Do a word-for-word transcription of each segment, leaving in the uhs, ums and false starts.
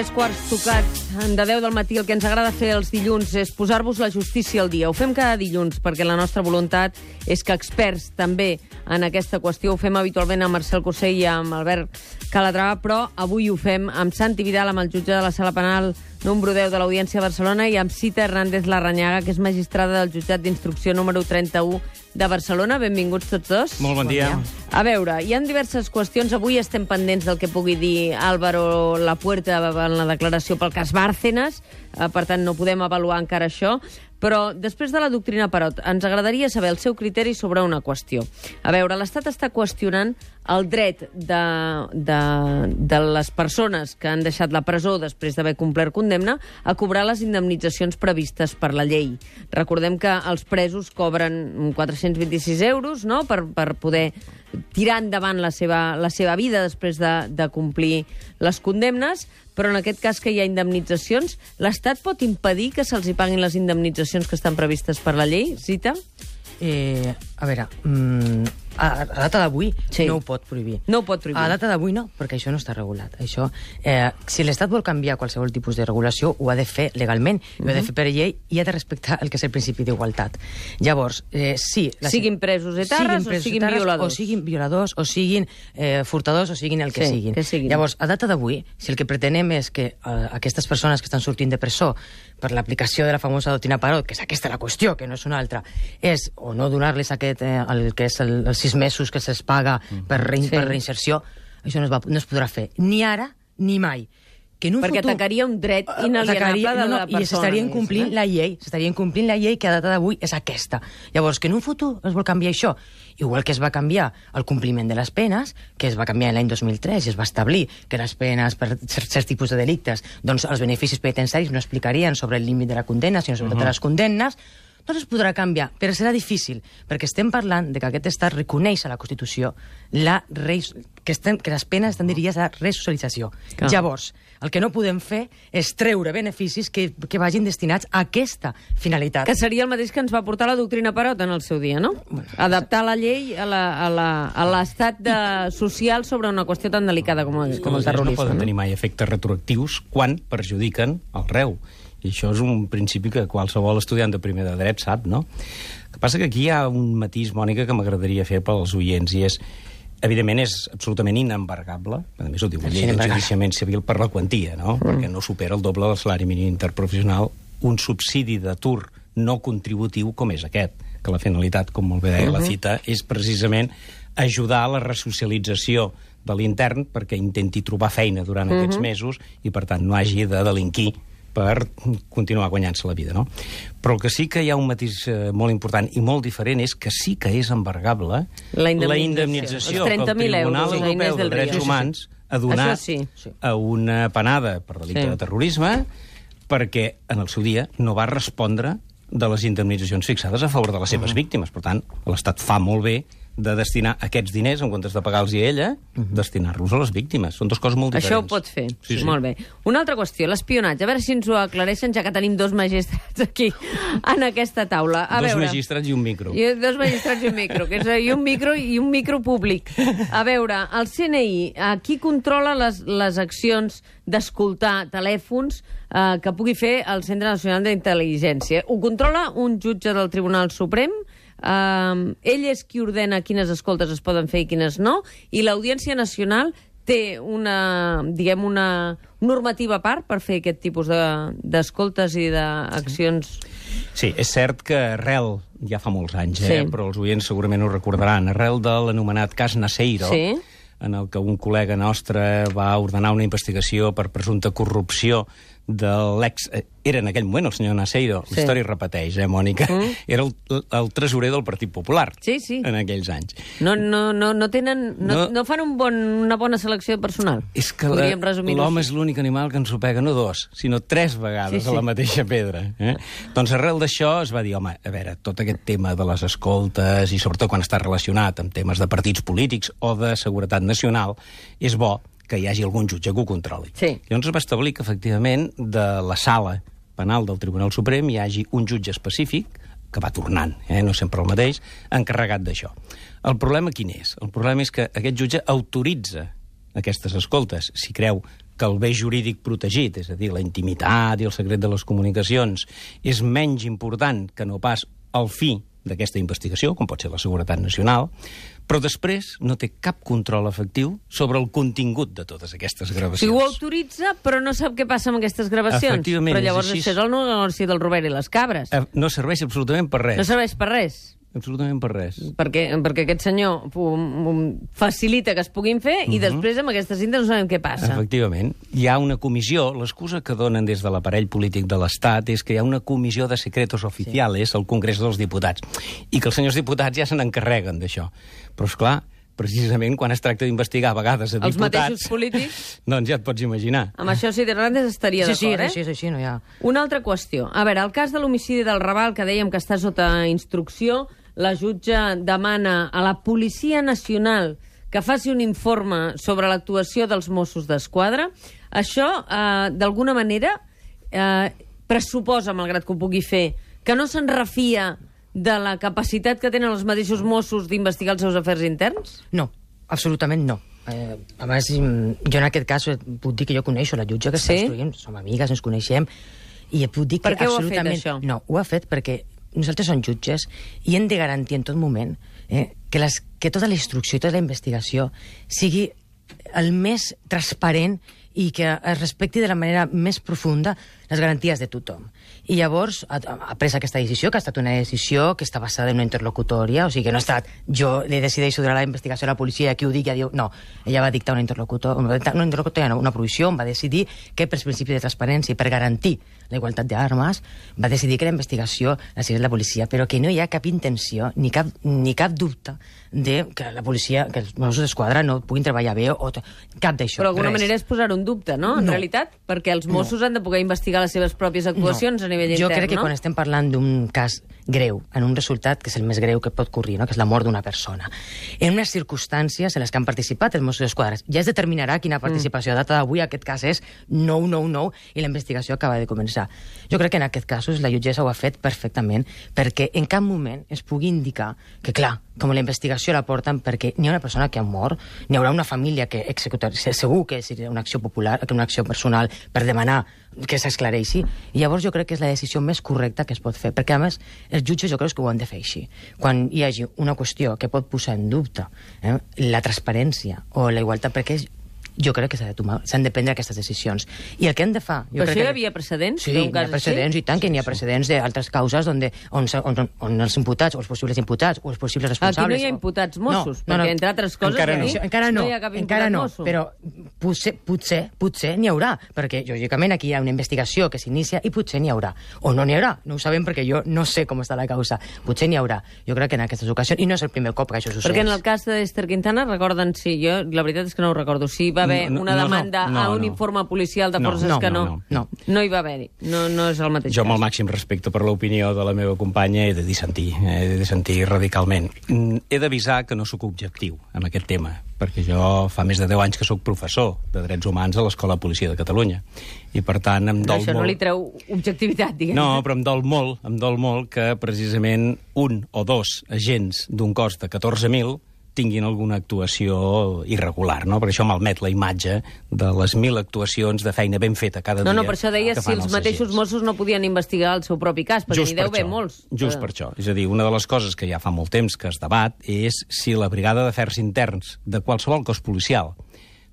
tres quarts tocats de deu del matí. El que ens agrada fer els dilluns és posar-vos la justícia al dia. Ho fem cada dilluns perquè la nostra voluntat és que experts també en aquesta qüestió, ho fem habitualment amb Marcel Cursell i amb Albert Calatrava, però avui ho fem amb Santi Vidal, amb el jutge de la Sala Penal número deu de l'Audiència de Barcelona, i amb Cita Hernández Larrañaga, que és magistrada del jutjat d'instrucció número trenta-u de Barcelona. Benvinguts tots dos. Molt bon dia. A veure, hi ha diverses qüestions. Avui estem pendents del que pugui dir Álvaro Lapuerta en la declaració pel cas Bárcenas, per tant no podem avaluar encara això, però després de la doctrina Parot ens agradaria saber el seu criteri sobre una qüestió. A veure, l'Estat està qüestionant el dret de, de, de les persones que han deixat la presó després d'haver complert condemna a cobrar les indemnitzacions previstes per la llei. Recordem que els presos cobren quatre-cents vint-i-sis euros, no?, per, per poder tirar endavant la seva, la seva vida després de, de complir les condemnes, però en aquest cas que hi ha indemnitzacions, l'Estat pot impedir que se'ls hi paguin les indemnitzacions que estan previstes per la llei? Cita? Eh, a veure, mm, a, a data d'avui Sí. no ho pot prohibir. No ho pot prohibir. A data d'avui no, perquè això no està regulat. Això, eh, si l'Estat vol canviar qualsevol tipus de regulació, ho ha de fer legalment, uh -huh. ho ha de fer per llei i ha de respectar el que és el principi d'igualtat. Llavors, eh, sí... La, Siguin presos etarres o siguin etarres, violadors. O siguin violadors, o siguin eh, furtadors, o siguin el que, Sí, siguin. que siguin. Llavors, a data d'avui, si el que pretenem és que eh, aquestes persones que estan sortint de presó per l'aplicació de la famosa doctrina Parot, que és aquesta la qüestió, que no és una altra, és o no donar-les aquest, eh, el que és el, els sis mesos que se'ls paga per, rein, Sí. per reinserció, això no es, va, no es podrà fer, ni ara ni mai. Que en un Perquè futur, atacaria un dret inalienable atacaria, de no, no, la persona. I s'estarien complint eh? la llei, s'estarien complint la llei que a data d'avui és aquesta. Llavors, que en un futur es vol canviar això, igual que es va canviar el compliment de les penes, que es va canviar l'any dos mil tres i es va establir que les penes per certs tipus de delictes, doncs els beneficis penitenciaris no explicarien sobre el límit de la condemna, sinó sobre uh -huh. totes les condemnes, doncs es podrà canviar, però serà difícil, perquè estem parlant de que aquest estat reconeix a la Constitució la res... que, estem... que les penes estan dirigides a la resocialització. Clar. Llavors, el que no podem fer és treure beneficis que, que vagin destinats a aquesta finalitat. Que seria el mateix que ens va portar la doctrina Parot en el seu dia, no? Bueno, Adaptar la llei a la- a la- a l'estat de social sobre una qüestió tan delicada com, el- com el Els terrorisme. no poden tenir mai efectes retroactius quan perjudiquen el reu. I això és un principi que qualsevol estudiant de primer de dret sap, no? El que passa que aquí hi ha un matís, Mònica, que m'agradaria fer pels oients, i és, evidentment, és absolutament inembargable, a més ho diu la llei d'enjudiciament civil, per la quantia, no? Mm. Perquè no supera el doble del salari mínim interprofessional un subsidi d'atur no contributiu com és aquest, que la finalitat, com molt bé deia uh -huh. la Cita, és precisament ajudar a la resocialització de l'intern perquè intenti trobar feina durant uh -huh. aquests mesos i, per tant, no hagi de delinquir per continuar guanyant-se la vida, no? Però el que sí que hi ha un matís eh, molt important i molt diferent és que sí que és embargable La indemnització. la indemnització Els que el trenta mil Tribunal euros, la Inés Europeu de del Río. Drets Sí, sí, sí. Humans ha donat Això sí. a una penada per delicte Sí. de terrorisme perquè en el seu dia no va respondre de les indemnitzacions fixades a favor de les seves uh -huh. víctimes. Per tant, l'Estat fa molt bé de destinar aquests diners, en comptes de pagar-los a ella, uh -huh. destinar-los a les víctimes. Són dues coses molt diferents. Això ho pot fer. Sí, sí. Molt bé. Una altra qüestió, l'espionatge. A veure si ens ho aclareixen, ja que tenim dos magistrats aquí en aquesta taula. A Dos veure. magistrats i un micro. I dos magistrats i un micro, que és i un micro i un micro públic. A veure, el C N I, eh, qui controla les, les accions d'escoltar telèfons eh, que pugui fer el Centre Nacional d'Intel·ligència? Ho controla un jutge del Tribunal Suprem? Uh, ell és qui ordena quines escoltes es poden fer i quines no, i l'Audiència Nacional té una, diguem, una normativa a part per fer aquest tipus de- d'escoltes i d'accions. Sí, és cert que arrel, ja fa molts anys, eh, Sí. però els oients segurament ho recordaran, arrel de l'anomenat cas Naseiro, Sí. en el que un col·lega nostre va ordenar una investigació per presumpta corrupció de l'ex... eh, Era en aquell moment el senyor Naseiro, Sí. la història es repeteix, eh, Mònica? Mm. Era el, el tresorer del Partit Popular Sí, sí. en aquells anys. No, no, no, no tenen... No, No. no fan un bon, una bona selecció de personal. És que Podríem la- resumir-ho l'home així. és l'únic animal que ens ho pega no dos, sinó tres vegades Sí, sí. a la mateixa pedra. Eh? Doncs arrel d'això es va dir, home, a veure, tot aquest tema de les escoltes, i sobretot quan està relacionat amb temes de partits polítics o de seguretat nacional, és bo que hi hagi algun jutge que ho controli. Sí. Llavors es va establir que, efectivament, de la sala penal del Tribunal Suprem hi hagi un jutge específic, que va tornant, eh? no sempre el mateix, encarregat d'això. El problema quin és? El problema és que aquest jutge autoritza aquestes escoltes, si creu que el bé jurídic protegit, és a dir, la intimitat i el secret de les comunicacions, és menys important que no pas el fi d'aquesta investigació, com pot ser la seguretat nacional, però després no té cap control efectiu sobre el contingut de totes aquestes gravacions. Si ho autoritza, però no sap què passa amb aquestes gravacions. Efectivament, però llavors és així. això és el negoci del Robert i les cabres. Eh, No serveix absolutament per res. No serveix per res. Absolutament per res. Perquè, perquè aquest senyor um, um, facilita que es puguin fer i després amb aquesta cinta no sabem què passa. Efectivament. Hi ha una comissió, l'excusa que donen des de l'aparell polític de l'Estat és que hi ha una comissió de secretos oficiales sí. al Congrés dels Diputats i que els senyors diputats ja se n'encarreguen d'això. Però, esclar, precisament quan es tracta d'investigar a vegades a els diputats... mateixos polítics... Doncs ja et pots imaginar. Amb això Cid Hernández estaria Sí, sí, d'acord, és així, és així, no hi ha... Una altra qüestió. A veure, el cas de l'homicidi del Raval, que dèiem que està sota instrucció, la jutge demana a la Policia Nacional que faci un informe sobre l'actuació dels Mossos d'Esquadra. Això, eh, d'alguna manera, eh, pressuposa, malgrat que ho pugui fer, que no se'n refia de la capacitat que tenen els mateixos Mossos d'investigar els seus afers interns? No, absolutament no. Eh, a més, jo en aquest cas puc dir que jo coneixo la jutge que Sí? està instruint, som amigues, ens coneixem, i puc dir que Per què ho ha fet, absolutament... això? No, ho ha fet perquè nosaltres som jutges i hem de garantir en tot moment eh, que, les, que tota la instrucció i tota la investigació sigui el més transparent i que es respecti de la manera més profunda les garanties de tothom. I llavors ha, ha pres aquesta decisió, que ha estat una decisió que està basada en una interlocutòria, o sigui que no ha estat jo li decideixo donar la investigació a la policia i qui ho digui ja diu... No, ella va dictar una interlocutòria, una, interlocutòria no, una provisió, on va decidir que pels principis de transparència i per garantir la igualtat d'armes, va decidir que la investigació la seguís la policia, però que no hi ha cap intenció ni cap, ni cap dubte de que la policia, que els Mossos d'Esquadra no puguin treballar bé o cap d'això. Però d'alguna res. manera és posar un dubte, no? En No. realitat, perquè els Mossos No. han de poder investigar les seves pròpies actuacions No. a nivell Jo intern, crec que no? quan estem parlant d'un cas greu, en un resultat que és el més greu que pot ocorrir, no? que és la mort d'una persona, en unes circumstàncies en les que han participat els Mossos d'Esquadra, ja es determinarà quina participació. Mm. A data d'avui aquest cas és nou nou nou i la investigació acaba de començar. Jo crec que en aquest cas la jutgessa ho ha fet perfectament perquè en cap moment es pugui indicar que, clar, com la investigació la porten perquè n'hi ha una persona que ha mort, n'hi haurà una família que executarà, segur que és una acció popular, que una acció personal per demanar que s'esclareixi, i llavors jo crec que és la decisió més correcta que es pot fer, perquè a més els jutges jo crec que ho han de fer així. Quan hi hagi una qüestió que pot posar en dubte eh, la transparència o la igualtat, perquè és, jo crec que s'han de tomar, s'han de prendre aquestes decisions. I el que hem de fer... Jo Però crec això hi que... havia precedents? Sí, d'un hi ha cas precedents, així? i tant, que n'hi ha precedents d'altres causes on, on, on, on els imputats, o els possibles imputats, o els possibles responsables... Aquí no hi ha imputats Mossos, no, no, perquè, no, entre altres coses, encara no. aquí encara no, no hi ha cap encara imputat no, Mosso. però potser, potser, potser n'hi haurà, perquè lògicament aquí hi ha una investigació que s'inicia i potser n'hi haurà. O no n'hi haurà, no ho sabem perquè jo no sé com està la causa. Potser n'hi haurà. Jo crec que en aquestes ocasions, i no és el primer cop que això succeeix. Perquè en el cas d'Ester Quintana, recorden, sí, jo la veritat és que no ho recordo, si va haver No, no, una no, demanda no, a un no. informe policial de No, forces no, que no, no. no, no. No hi va haver-hi. No, no és el mateix Jo, amb el cas. màxim respecte per l'opinió de la meva companya, he de dissentir, he de dissentir radicalment. Mm, He d'avisar que no sóc objectiu en aquest tema, perquè jo fa més de deu anys que sóc professor de Drets Humans a l'Escola de Policia de Catalunya. I, per tant, em Però dol això molt... no li treu objectivitat, diguem. No, però em dol molt, em dol molt que precisament un o dos agents d'un cos de catorze mil tinguin alguna actuació irregular, no? Per això malmet la imatge de les mil actuacions de feina ben feta cada No, dia. no, per això deia que si fan els mateixos agents. Mossos no podien investigar el seu propi cas, perquè Just n'hi deu per haver això, molts. Just per això. És a dir, una de les coses que ja fa molt temps que es debat és si la Brigada d'Afers Interns de qualsevol cos policial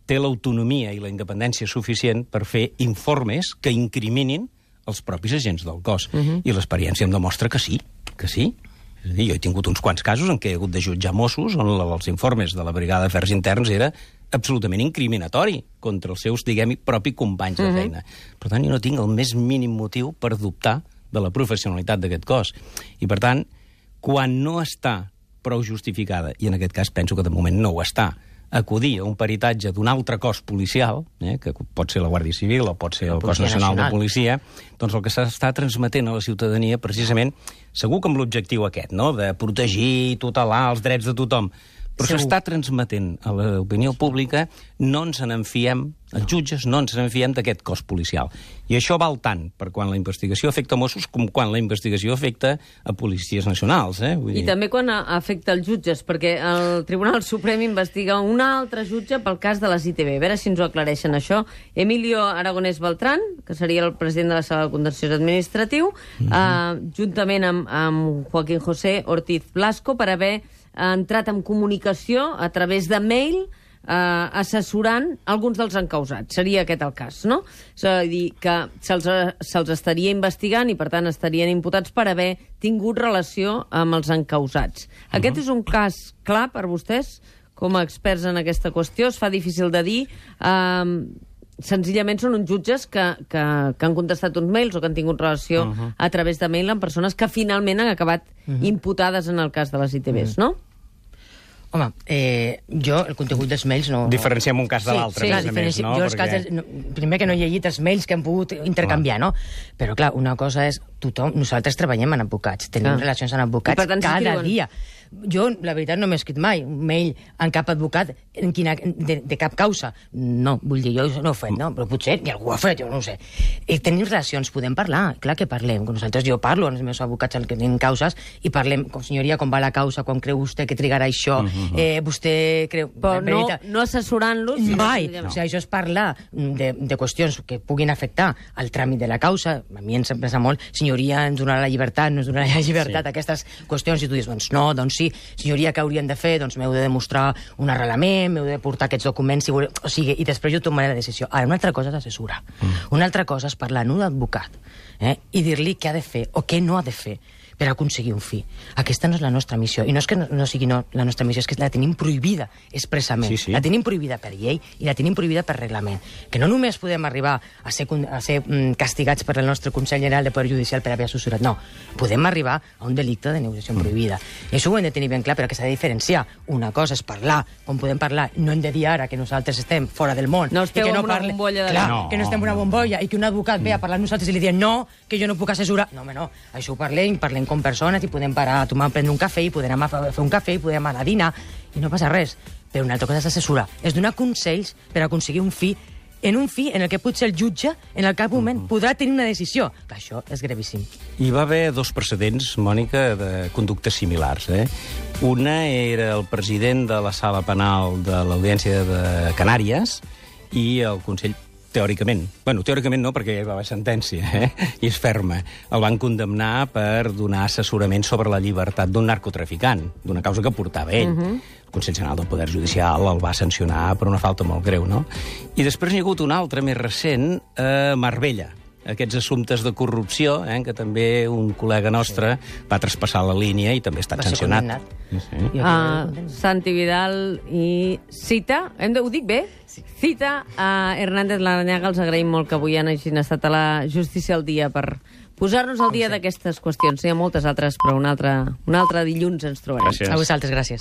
té l'autonomia i la independència suficient per fer informes que incriminin els propis agents del cos. Uh -huh. I l'experiència em demostra que sí, que sí. És a dir, jo he tingut uns quants casos en què he hagut de jutjar Mossos on els informes de la Brigada d'Afers Interns era absolutament incriminatori contra els seus, diguem-hi, propi companys de feina. Per tant, jo no tinc el més mínim motiu per dubtar de la professionalitat d'aquest cos. I, per tant, quan no està prou justificada, i en aquest cas penso que de moment no ho està, acudir a un peritatge d'un altre cos policial, eh, que pot ser la Guàrdia Civil o pot ser el Cos Nacional de Policia, doncs el que s'està transmetent a la ciutadania precisament, segur que amb l'objectiu aquest, no?, de protegir i tutelar els drets de tothom, però s'està transmetent a l'opinió pública, no ens n'enfiem Els jutges no ens en fiem d'aquest cos policial. I això val tant per quan la investigació afecta Mossos com quan la investigació afecta a policies nacionals. Eh? Vull dir... I també quan afecta els jutges, perquè el Tribunal Suprem investiga un altre jutge pel cas de les I T V. A veure si ens ho aclareixen, això. Emilio Aragonès Beltrán, que seria el president de la Sala de Contenciós Administratiu, mm-hmm. eh, juntament amb, amb Joaquín José Ortiz Blasco, per haver entrat en comunicació a través de mail Uh, assessorant alguns dels encausats. Seria aquest el cas, no? És a dir, que se'ls se estaria investigant i, per tant, estarien imputats per haver tingut relació amb els encausats. Uh-huh. Aquest és un cas clar per vostès, com a experts en aquesta qüestió? Es fa difícil de dir... Uh, senzillament són uns jutges que, que, que han contestat uns mails o que han tingut relació uh-huh. a través de mail amb persones que finalment han acabat uh-huh. imputades en el cas de les I T Vs, uh-huh. no? Home, eh, jo el contingut dels mails no... Diferenciem un cas de l'altre, sí, a més a més, no? Jo els Perquè... casos, no, primer que no he llegit els mails que hem pogut intercanviar, clar. No? Però, clar, una cosa és... Tothom, nosaltres treballem amb advocats, tenim clar. Relacions amb advocats tant, cada dia. Jo, la veritat, no m'he escrit mai un mail en cap advocat en quina, de, de cap causa. No, vull dir, jo no ho he fet, no? Però potser ni algú ho ha fet, jo no ho sé. I tenim relacions, podem parlar, clar que parlem. Nosaltres, jo parlo amb els meus advocats que tenen causes i parlem, com senyoria, com va la causa, com creu vostè que trigarà això, uh-huh. eh, vostè creu... Però no, no assessorant-los... Mai. No. O sigui, això és parlar de, de qüestions que puguin afectar al tràmit de la causa. A mi em sembla molt, senyoria, ens donarà la llibertat, no ens donarà la llibertat, sí. Aquestes qüestions, i tu dius, doncs no, doncs sí, senyoria, què haurien de fer? Doncs m'heu de demostrar un arrelament, m'heu de portar aquests documents, si voleu... o sigui, i després jo tomaré la decisió. Ara, una altra cosa és assessorar. Mm. Una altra cosa és parlar amb un advocat, eh, i dir-li què ha de fer o què no ha de fer per aconseguir un fi. Aquesta no és la nostra missió. I no és que no, no sigui no, la nostra missió, és que la tenim prohibida expressament. Sí, sí. La tenim prohibida per llei i la tenim prohibida per reglament. Que no només podem arribar a ser, a ser mm, castigats per el nostre Consell General de Poder Judicial per haver assessorat. No. Podem arribar a un delicte de negociació mm. prohibida. I això ho hem de tenir ben clar, però que s'ha de diferenciar. Una cosa és parlar, com podem parlar, no hem de dir ara que nosaltres estem fora del món. No esteu i que no en una parle... bombolla de... Clar, no, que no estem en una bombolla i que un advocat ve a parlar amb nosaltres i li diem no, que jo no puc assessorar. No, home, no. Això ho parlem, parlem com persones i podem parar a tomar, prendre un cafè i podem anar a fer un cafè i podem anar a dinar i no passa res. Però una altra cosa és assessorar. És donar consells per aconseguir un fi en un fi en el que potser el jutge en el cap moment mm-hmm. podrà tenir una decisió. Que això és gravíssim. Hi va haver dos precedents, Mònica, de conductes similars. Eh? Una era el president de la sala penal de l'Audiència de Canàries i el Consell teòricament. Bueno, teòricament no, perquè ja va haver sentència, eh? I és ferma. El van condemnar per donar assessorament sobre la llibertat d'un narcotraficant, d'una causa que portava ell. Uh-huh. El Consell General del Poder Judicial el va sancionar per una falta molt greu, no? I després n'hi ha hagut un altre, més recent, a Marbella. Aquests assumptes de corrupció, eh, que també un col·lega nostre sí. va traspassar la línia i també ha estat sancionat. Sí, sí. Uh, Santi Vidal i Cita, hem de, ho dic bé? Sí. Cita a Hernández Larrañaga, els agraïm molt que avui hagin estat a la Justícia al dia per posar-nos al dia d'aquestes qüestions. N'hi ha moltes altres, però un altre, un altre dilluns ens trobarem. Gràcies. A vosaltres, gràcies.